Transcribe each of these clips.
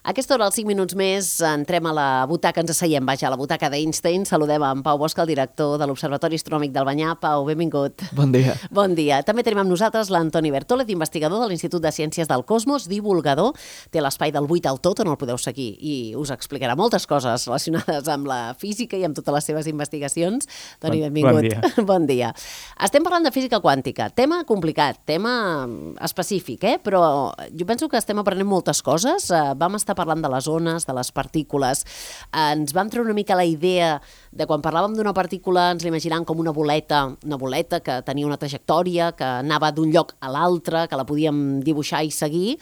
A aquesta hora, als 5 minuts més, entrem a la butaca, ens asseiem, vaja, a la butaca d'Einstein. Saludem en Pau Bosch, el director de l'Observatori Astronòmic del Banyà. Pau, benvingut. Bon dia. Bon dia. També tenim amb nosaltres l'Antoni Bertòlez, investigador de l'Institut de Ciències del Cosmos, divulgador. Té l'espai del 8 al tot, on el podeu seguir, i us explicarà moltes coses relacionades amb la física i amb totes les seves investigacions. Toni, benvingut. Bon dia. Bon dia. Estem parlant de física quàntica. Tema complicat, tema específic, però jo penso que estem aprenent moltes coses. Vam estar parlant de les ones, de les partícules. Ens vam treure una mica la idea de quan parlàvem d'una partícula ens l'imaginàvem com una boleta que tenia una trajectòria, que anava d'un lloc a l'altre, que la podíem dibuixar i seguir.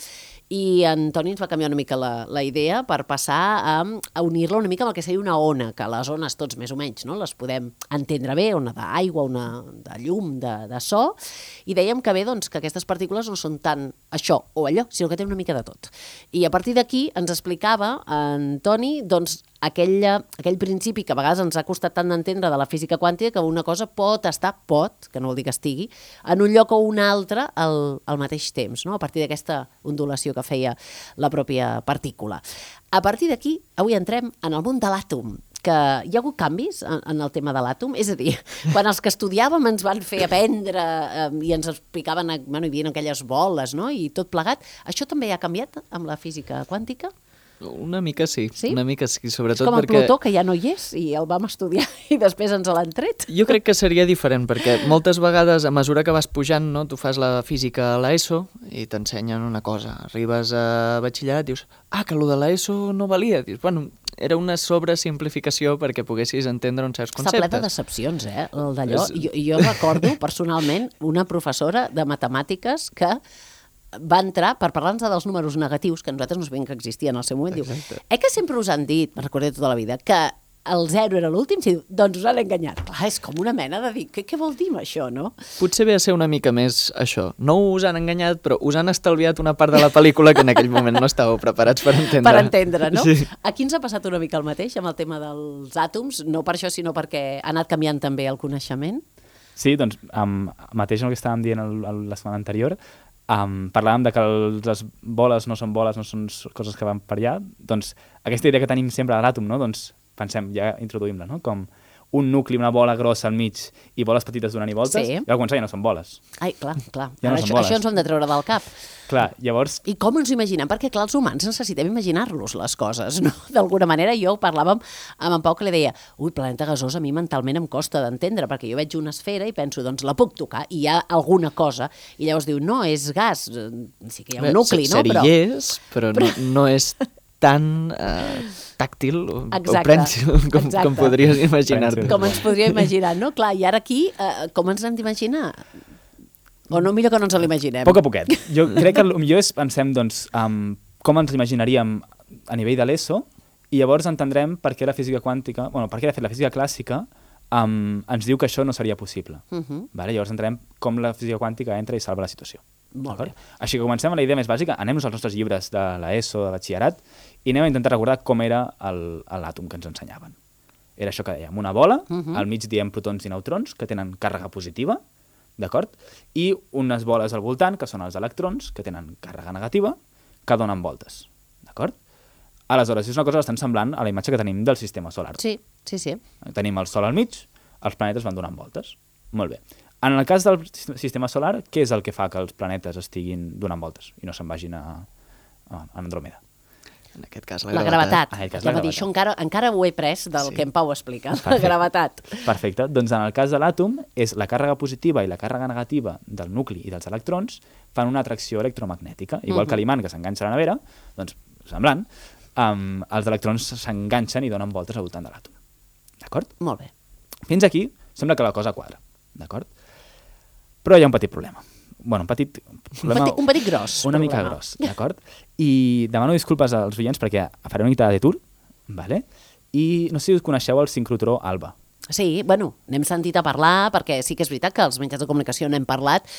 I en Toni ens va canviar una mica la idea per passar a unir-la una mica amb el que seria una ona, que les ones tots més o menys les podem entendre bé, ona d'aigua, ona de llum, de so, i dèiem que bé que aquestes partícules no són tant això o allò, sinó que tenen una mica de tot. I a partir d'aquí ens explicava en Toni aquell principi que a vegades ens ha costat tant d'entendre de la física quàntica, que una cosa pot, que no vol dir que estigui, en un lloc o un altre al mateix temps, a partir d'aquesta ondulació que feia la pròpia partícula. A partir d'aquí, avui entrem en el món de l'àtom, que hi ha hagut canvis en el tema de l'àtom, és a dir, quan els que estudiàvem ens van fer aprendre i ens explicaven, hi havia aquelles boles, i tot plegat, això també ha canviat amb la física quàntica? Una mica sí, sobretot perquè... És com el Plutó, que ja no hi és, i el vam estudiar i després ens l'han tret. Jo crec que seria diferent, perquè moltes vegades, a mesura que vas pujant, tu fas la física a l'ESO i t'ensenyen una cosa. Arribes a batxillerat i dius, que allò de l'ESO no valia. Dius, era una sobresimplificació perquè poguessis entendre uns certs conceptes. Està ple de decepcions, el d'allò. Jo recordo, personalment, una professora de matemàtiques que va entrar per parlar-nos dels números negatius, que nosaltres no sabíem que existien al seu moment. Exacte. Diu, que sempre us han dit, me'n recordo tota la vida, que el 0 era l'últim, doncs us han enganyat. Clar, és com una mena de dir, què vol dir això, no? Potser ve a ser una mica més això. No us han enganyat, però us han estalviat una part de la pel·lícula que en aquell moment no estàveu preparats per entendre. Per entendre, no? Sí. Aquí ens ha passat una mica el mateix amb el tema dels àtoms, no per això, sinó perquè ha anat canviant també el coneixement. Sí, doncs, mateix el que estàvem dient la setmana anterior, parlàvem de que les boles no són coses que van per allà, doncs aquesta idea que tenim sempre de l'àtom, doncs pensem, ja introduïm-la, com un nucli, una bola grossa al mig i boles petites donant i voltes, sí. I al començar ja no són boles. Ai, clar. Ja no són boles. Això ens ho hem de treure del cap. Clar, llavors... I com ens ho imaginem? Perquè, clar, els humans necessitem imaginar-los les coses, no? D'alguna manera, jo parlàvem amb en Pau que li deia, planeta gasós a mi mentalment em costa d'entendre, perquè jo veig una esfera i penso, doncs la puc tocar, i hi ha alguna cosa, i llavors diu, no, és gas, sí que hi ha un nucli, no? Però no és tan tàctil o prènsil com podries imaginar-te. Com ens podria imaginar, no? Clar, i ara aquí, com ens hem d'imaginar? O no, millor que no ens l'imaginem? Poc a poquet. Jo crec que el millor és pensem com ens l'imaginaríem a nivell de l'ESO i llavors entendrem per què la física quàntica, per què de fet la física clàssica ens diu que això no seria possible. Llavors entenem com la física quàntica entra i salva la situació. Molt bé. Així que comencem amb la idea més bàsica, anem-nos als nostres llibres de l'ESO, de batxillerat, i anem a intentar recordar com era l'àtom que ens ensenyaven. Era això que dèiem, una bola, al mig diem protons i neutrons, que tenen càrrega positiva, d'acord? I unes boles al voltant, que són els electrons, que tenen càrrega negativa, que donen voltes, d'acord? Aleshores, és una cosa bastant semblant a la imatge que tenim del sistema solar. Sí. Tenim el Sol al mig, els planetes van donant voltes. Molt bé. En el cas del sistema solar, què és el que fa que els planetes estiguin donant voltes i no se'n vagin a Andròmeda? En aquest cas, la gravetat. Això encara ho he pres del que en Pau explica, la gravetat. Perfecte. Doncs en el cas de l'àtom, és la càrrega positiva i la càrrega negativa del nucli i dels electrons fan una atracció electromagnètica. Igual que l'imant que s'enganxa a la nevera, doncs, semblant, els electrons s'enganxen i donen voltes al voltant de l'àtom. D'acord? Molt bé. Fins aquí sembla que la cosa quadra. D'acord? Però hi ha un petit problema. Un petit problema... Un petit gros. Una mica gros, d'acord? I demano disculpes als oients perquè faré una mica de detour, vale? I no sé si us coneixeu el sincrotró ALBA. Sí, n'hem sentit a parlar, perquè sí que és veritat que als mitjans de comunicació n'hem parlat,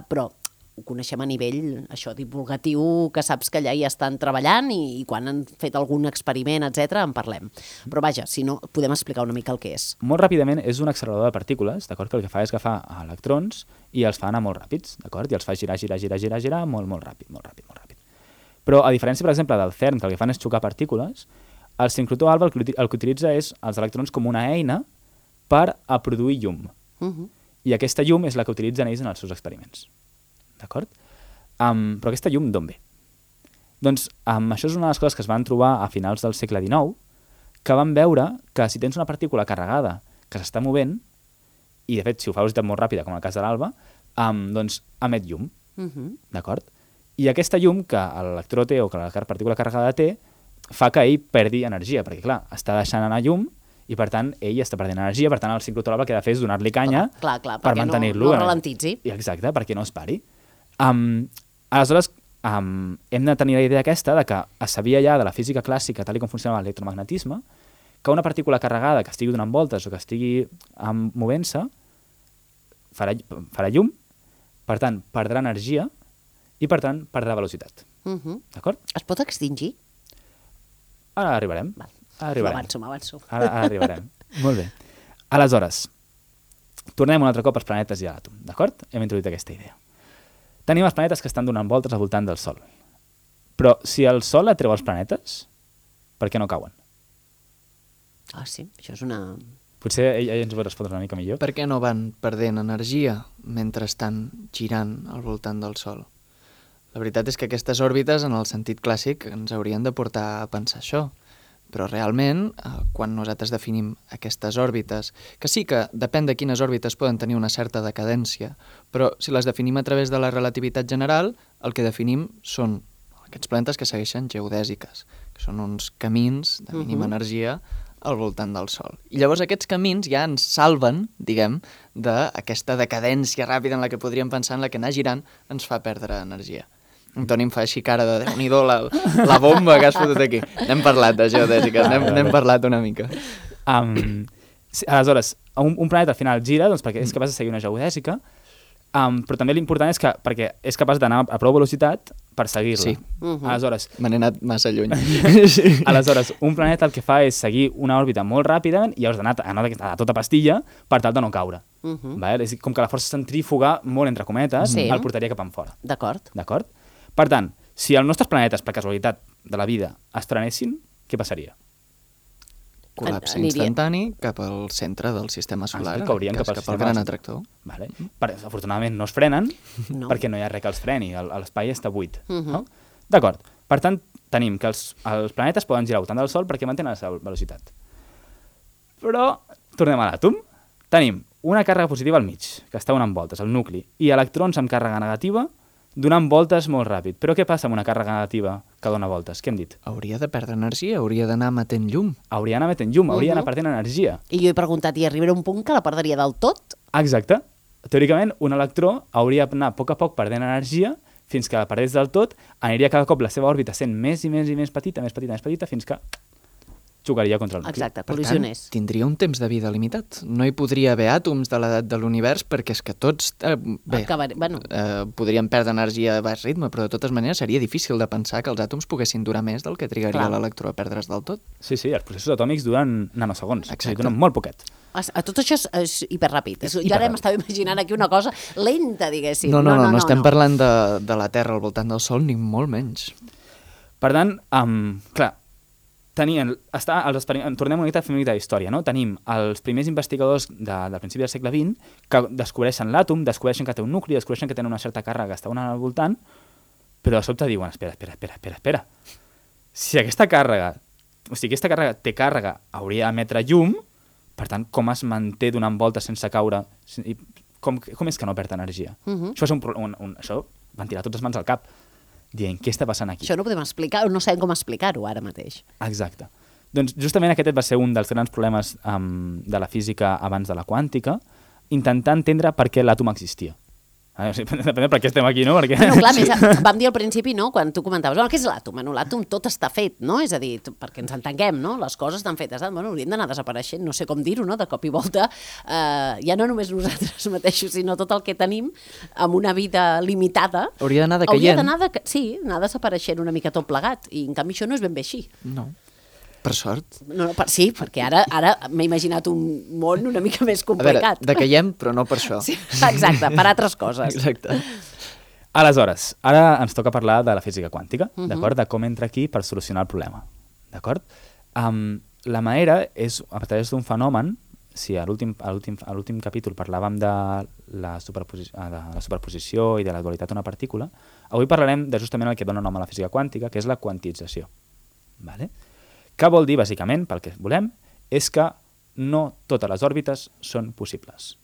però ho coneixem a nivell divulgatiu, que saps que allà hi estan treballant i quan han fet algun experiment, etc., en parlem. Però vaja, si no, podem explicar una mica el que és. Molt ràpidament, és un accelerador de partícules, d'acord? Que el que fa és agafar electrons i els fa anar molt ràpids, d'acord? I els fa girar molt ràpid. Però a diferència, per exemple, del CERN, que el que fan és xocar partícules, el sincrotró alfa el que utilitza és els electrons com una eina per a produir llum. I aquesta llum és la que utilitzen ells en els seus experiments. D'acord? Però aquesta llum d'on ve? Doncs això és una de les coses que es van trobar a finals del segle XIX, que van veure que si tens una partícula carregada que s'està movent, i de fet si ho fa a velocitat molt ràpida, com el cas de l'alba, doncs emet llum. D'acord? I aquesta llum que l'electró té o que la partícula carregada té fa que ell perdi energia, perquè clar, està deixant anar llum i per tant ell està perdent energia, per tant el sincrotró alfa el que ha de fer és donar-li canya per mantenir-lo. No ralentitzi. Exacte, perquè no es pari. Aleshores, hem de tenir la idea aquesta de que es sabia ja de la física clàssica, tal com funcionava l'electromagnetisme, que una partícula carregada que estigui donant voltes o que estigui movent-se farà llum, per tant, perdrà energia i, per tant, perdrà velocitat. D'acord? Es pot extingir? Ara arribarem. M'avanço. Ara arribarem. Molt bé. Aleshores, tornem un altre cop als planetes i a l'àtom, d'acord? Hem introduït aquesta idea. Tenim els planetes que estan donant voltes al voltant del Sol. Però si el Sol atreu els planetes, per què no cauen? Ah, sí, això és una... Potser ell ens ho pot respondre una mica millor. Per què no van perdent energia mentre estan girant al voltant del Sol? La veritat és que aquestes òrbites, en el sentit clàssic, ens haurien de portar a pensar això. Però realment, quan nosaltres definim aquestes òrbites, que sí que depèn de quines òrbites poden tenir una certa decadència, però si les definim a través de la relativitat general, el que definim són aquests planetes que segueixen geodèsiques, que són uns camins de mínima energia al voltant del Sol. I llavors aquests camins ja ens salven, diguem, d'aquesta decadència ràpida en la que podríem pensar, en la que anar girant ens fa perdre energia. En Toni em fa així cara de Déu-n'hi-do la bomba que has fotut aquí. N'hem parlat de geodèsiques, n'hem parlat una mica. Aleshores, un planeta al final gira doncs, perquè és capaç de seguir una geodèsica, però també l'important és que perquè és capaç d'anar a prou velocitat per seguir-la. Sí. Aleshores, me n'he anat massa lluny. Aleshores, un planeta el que fa és seguir una òrbita molt ràpida i llavors d'anar a tota pastilla per tal de no caure. És com que la força centrífuga, molt entre cometes, el portaria cap enfora. D'acord. Per tant, si els nostres planetes, per casualitat de la vida, es trenessin, què passaria? Col·lapse instantani cap al centre del sistema solar, caurien cap al gran atractor. Vale. Afortunadament no es frenen, perquè no hi ha res que els freni, l'espai està buit. No? D'acord. Per tant, tenim que els planetes poden girar al voltant del Sol perquè mantenen la seva velocitat. Però, tornem a l'àtom. Tenim una càrrega positiva al mig, que està donant voltes, al nucli, i electrons amb càrrega negativa donant voltes molt ràpid. Però què passa amb una càrrega negativa que dona voltes? Què hem dit? Hauria de perdre energia, hauria d'anar emetent llum. Hauria d'anar emetent llum, hauria d'anar perdent energia. I jo he preguntat, i arribarà un punt que la perdria del tot? Exacte. Teòricament, un electró hauria d'anar a poc perdent energia fins que la perdés del tot, aniria cada cop la seva òrbita sent més i més petita, fins que xocaria contra el nucli. Exacte, col·lisionés. Per tant, tindria un temps de vida limitat. No hi podria haver àtoms de l'edat de l'univers perquè és que tots podrien perdre energia a baix ritme, però de totes maneres seria difícil de pensar que els àtoms poguessin durar més del que trigaria l'electró a perdre's del tot. Sí, els processos atòmics duren nanosegons. Exacte. Duren molt poquet. Tot això és hiperràpid. Jo ara m'estava imaginant aquí una cosa lenta, diguéssim. No estem parlant de la Terra al voltant del Sol, ni molt menys. Per tant, clar, tornem una mica a fer una mica d'història, no? Tenim els primers investigadors del principi del segle XX que descobreixen l'àtom, descobreixen que té un nucli, descobreixen que té una certa càrrega que està donant al voltant, però de sobte diuen, espera. Si aquesta càrrega té càrrega, hauria d'emetre llum, per tant, com es manté donant voltes sense caure? Com és que no perd energia? Això van tirar totes les mans al cap, dient, què està passant aquí? Això no podem explicar, no sabem com explicar-ho ara mateix. Exacte. Doncs justament aquest va ser un dels grans problemes de la física abans de la quàntica, intentar entendre per què l'àtom existia. Depèn per què estem aquí, no? Perquè... Bueno, clar, vam dir al principi, no?, quan tu comentaves, què és l'àtom? Bueno, l'àtom tot està fet, no? És a dir, perquè ens entenguem, no? Les coses estan fetes. Bueno, haurien d'anar desapareixent, no sé com dir-ho, no? De cop i volta, ja no només nosaltres mateixos, sinó tot el que tenim amb una vida limitada. Hauria d'anar decaient. Anar desapareixent una mica tot plegat. I en canvi això no és ben bé així. No. Per sort. Sí, perquè ara m'he imaginat un món una mica més complicat. A veure, decaiem, però no per això. Sí, exacte, per altres coses. Exacte. Aleshores, ara ens toca parlar de la física quàntica, d'acord? De com entra aquí per solucionar el problema, d'acord? La manera és, a través d'un fenomen, si a l'últim capítol parlàvem de la superposició i de la dualitat d'una partícula, avui parlarem de justament el que dona nom a la física quàntica, que és la quantització. Vale? Què vol dir, bàsicament, pel que volem, és que no totes les òrbites són possibles.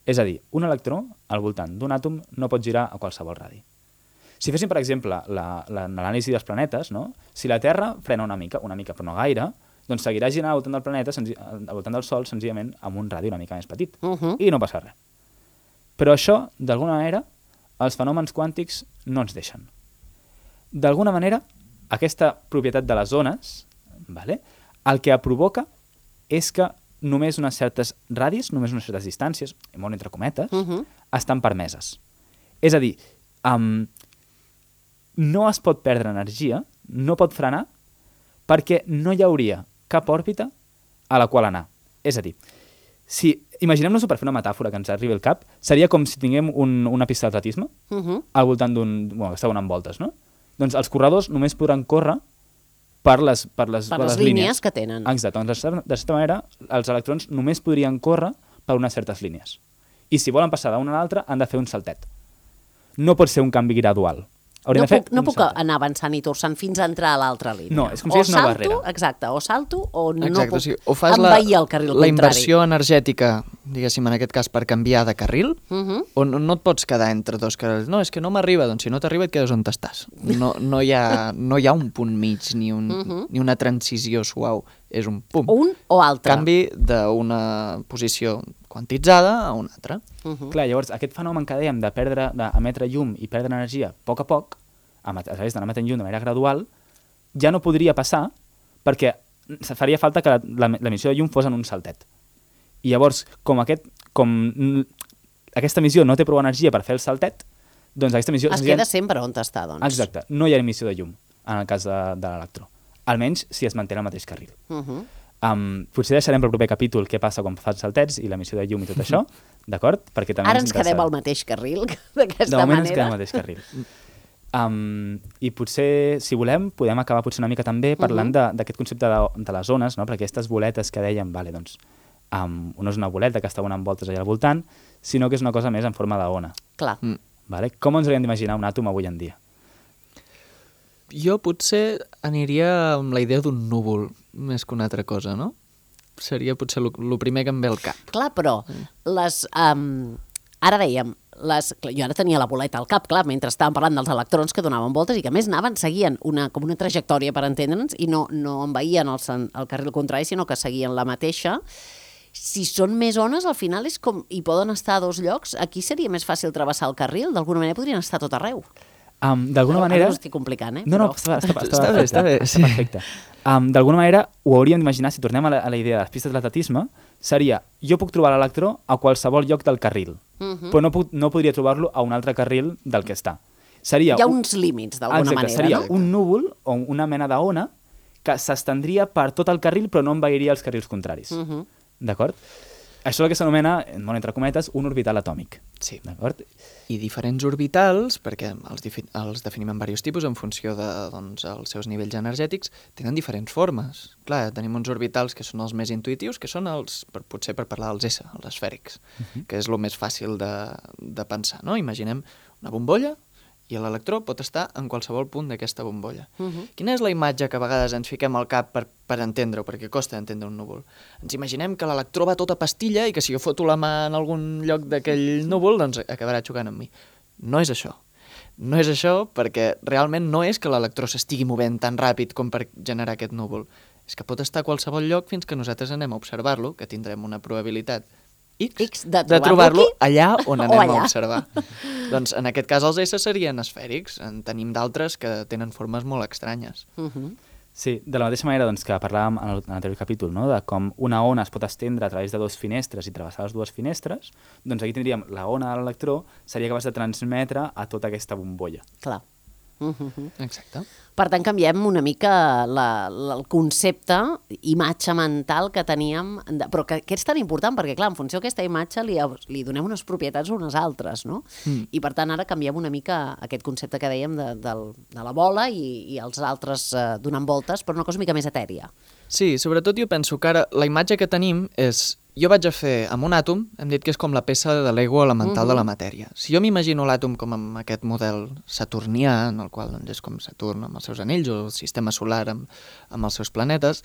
És a dir, un electró al voltant d'un àtom no pot girar a qualsevol radi. Si féssim, per exemple, l'anàlisi dels planetes, no? Si la Terra frena una mica però no gaire, doncs seguirà girant al voltant del planeta, al voltant del Sol, senzillament amb un radi una mica més petit. I no passa res. Però això, d'alguna manera, els fenòmens quàntics no ens deixen. D'alguna manera, aquesta propietat de les ones, vale, el que provoca és que només unes certes radis, només unes certes distàncies, molt entre cometes, estan permeses. És a dir, no es pot perdre energia, no pot frenar, perquè no hi hauria cap òrbita a la qual anar. És a dir, si imaginem-nos-ho per fer una metàfora que ens arribi al cap, seria com si tinguem una pista d'atletisme al voltant d'un... Bueno, que està donant voltes, no? Doncs els corredors només podran córrer per les línies que tenen. Exacte. Doncs, de certa manera, els electrons només podrien córrer per unes certes línies. I si volen passar d'una a l'altra, han de fer un saltet. No pot ser un canvi gradual. No puc anar avançant i torçant fins a entrar a l'altra línia. No, és com si és una barrera. Exacte, o salto o no puc o fas envair el carril contrari. La inversió energètica, diguéssim, en aquest cas, per canviar de carril, o no et pots quedar entre dos carrils. No, és que no m'arriba, doncs si no t'arriba et quedes on estàs. No hi ha un punt mig ni una transició suau, és un pum. Un o altre. Canvi d'una posició quantitzada a una altra. Clar, llavors, aquest fenomen que dèiem d'emetre llum i perdre energia a poc, a través d'anar emetent llum de manera gradual, ja no podria passar perquè faria falta que l'emissió de llum fos en un saltet. I llavors, com aquesta emissió no té prou energia per fer el saltet, doncs aquesta emissió... Es queda sempre on està, doncs. Exacte, no hi ha emissió de llum en el cas de l'electró. Almenys si es manté el mateix carril. Potser deixarem pel proper capítol què passa quan fas saltets i l'emissió de llum i tot això, d'acord? Ara ens quedem al mateix carril, d'aquesta manera. De moment ens quedem al mateix carril. I potser, si volem, podem acabar potser una mica també parlant d'aquest concepte de les ones, no? Perquè aquestes boletes que dèiem, vale, doncs, no és una boleta que està donant voltes allà al voltant, sinó que és una cosa més en forma d'ona. Clar. Vale? Com ens hauríem d'imaginar un àtom avui en dia? Jo potser aniria amb la idea d'un núvol, més que una altra cosa, no? Seria potser el primer que em ve al cap. Clar, però ara dèiem, jo ara tenia la boleta al cap, clar, mentre estàvem parlant dels electrons que donaven voltes i que a més seguien com una trajectòria per entendre'ns i no envaïen el carril contrari, sinó que seguien la mateixa. Si són més ones, al final és com hi poden estar a dos llocs, aquí seria més fàcil travessar el carril, d'alguna manera podrien estar a tot arreu. D'alguna manera... Ara ho estic complicant, No, està bé. Està perfecte. D'alguna manera, ho hauríem d'imaginar, si tornem a la idea de les pistes d'atletisme, seria, jo puc trobar l'electró a qualsevol lloc del carril, però no podria trobar-lo a un altre carril del que està. Hi ha uns límits, d'alguna manera, seria un núvol o una mena d'ona que s'estendria per tot el carril, però no envairia els carrils contraris. D'acord? Això és el que s'anomena, molt entre cometes, un orbital atòmic. Sí. D'acord? I diferents orbitals, perquè els definim en diversos tipus en funció dels seus nivells energètics, tenen diferents formes. Clar, tenim uns orbitals que són els més intuïtius, que són potser per parlar dels S, els esfèrics, que és el més fàcil de pensar, no? Imaginem una bombolla i l'electró pot estar en qualsevol punt d'aquesta bombolla. Quina és la imatge que a vegades ens fiquem al cap per entendre-ho, perquè costa entendre un núvol? Ens imaginem que l'electró va tota pastilla i que si jo foto la mà en algun lloc d'aquell núvol, doncs acabarà xocant amb mi. No és això. No és això perquè realment no és que l'electró s'estigui movent tan ràpid com per generar aquest núvol. És que pot estar a qualsevol lloc fins que nosaltres anem a observar-lo, que tindrem una probabilitat X de trobar-lo allà on anem a observar. Doncs en aquest cas els S serien esfèrics. En tenim d'altres que tenen formes molt estranyes. Sí, de la mateixa manera doncs, que parlàvem en l'anterior capítol, no? De com una ona es pot estendre a través de dues finestres i travessar les dues finestres, doncs aquí tindríem la ona de l'electró, seria capaç de transmetre a tota aquesta bombolla. Clar. Exacte. Per tant, canviem una mica el concepte, imatge mental que teníem, però que és tan important, perquè clar, en funció d'aquesta imatge li donem unes propietats unes altres, no? I per tant, ara canviem una mica aquest concepte que dèiem de la bola i els altres donant voltes, però una cosa una mica més etèria. Sí, sobretot jo penso que ara la imatge que tenim és... Jo vaig a fer amb un àtom, hem dit que és com la peça de l'ego elemental de la matèria. Si jo m'imagino l'àtom com amb aquest model saturnià, en el qual doncs, és com Saturn amb els seus anells, o el sistema solar amb els seus planetes,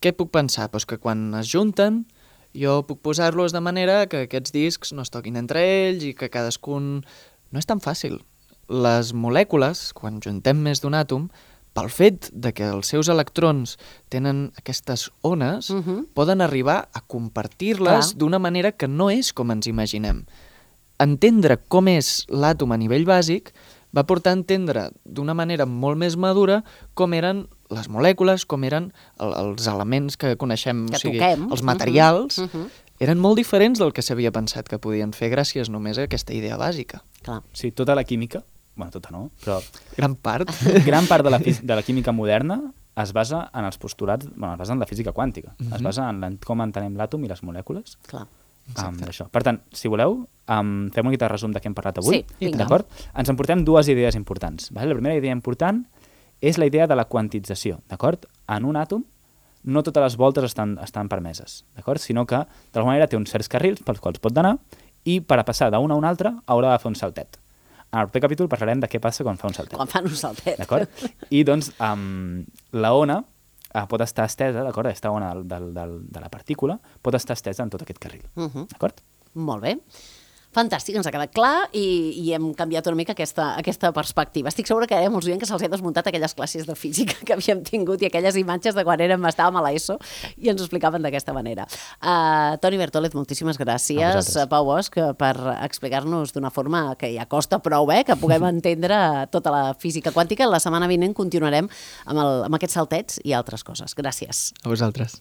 què puc pensar? Pues que quan es junten, jo puc posar-los de manera que aquests discs no es toquin entre ells i que cadascun... No és tan fàcil. Les molècules, quan juntem més d'un àtom, pel fet de que els seus electrons tenen aquestes ones, poden arribar a compartir-les d'una manera que no és com ens imaginem. Entendre com és l'àtom a nivell bàsic va portar a entendre d'una manera molt més madura com eren les molècules, com eren els elements que coneixem, que o sigui, toquem. Els materials, eren molt diferents del que s'havia pensat que podien fer gràcies només a aquesta idea bàsica. Clar. Sí, tota la química, bueno, tota no, però Gran part. gran part de la química moderna es basa en els postulats, bueno, es basa en la física quàntica, es basa en com entenem l'àtom i les molècules. Clar. Això. Per tant, si voleu, fem una mica de resum de què hem parlat avui. Sí, vinga. D'acord? Ens emportem dues idees importants. Vale? La primera idea important és la idea de la quantització. D'acord? En un àtom no totes les voltes estan permeses, d'acord? Sinó que, d'alguna manera, té uns certs carrils pels quals pot anar i per a passar d'una a una altra haurà de fer un saltet. En el proper capítol parlarem de què passa quan fa un saltet. Quan fan un saltet. D'acord? I doncs la ona pot estar estesa, d'acord? Aquesta ona de la partícula pot estar estesa en tot aquest carril. D'acord? Molt bé. Fantàstic, ens ha quedat clar i hem canviat una mica aquesta perspectiva. Estic segura que hi ha molts oients que se'ls ha desmuntat aquelles classes de física que havíem tingut i aquelles imatges de quan estàvem a l'ESO i ens ho explicaven d'aquesta manera. Toni Bertòlez, moltíssimes gràcies. Pau Bosch, per explicar-nos d'una forma que ja costa prou, que puguem entendre tota la física quàntica. La setmana vinent continuarem amb aquests saltets i altres coses. Gràcies. A vosaltres.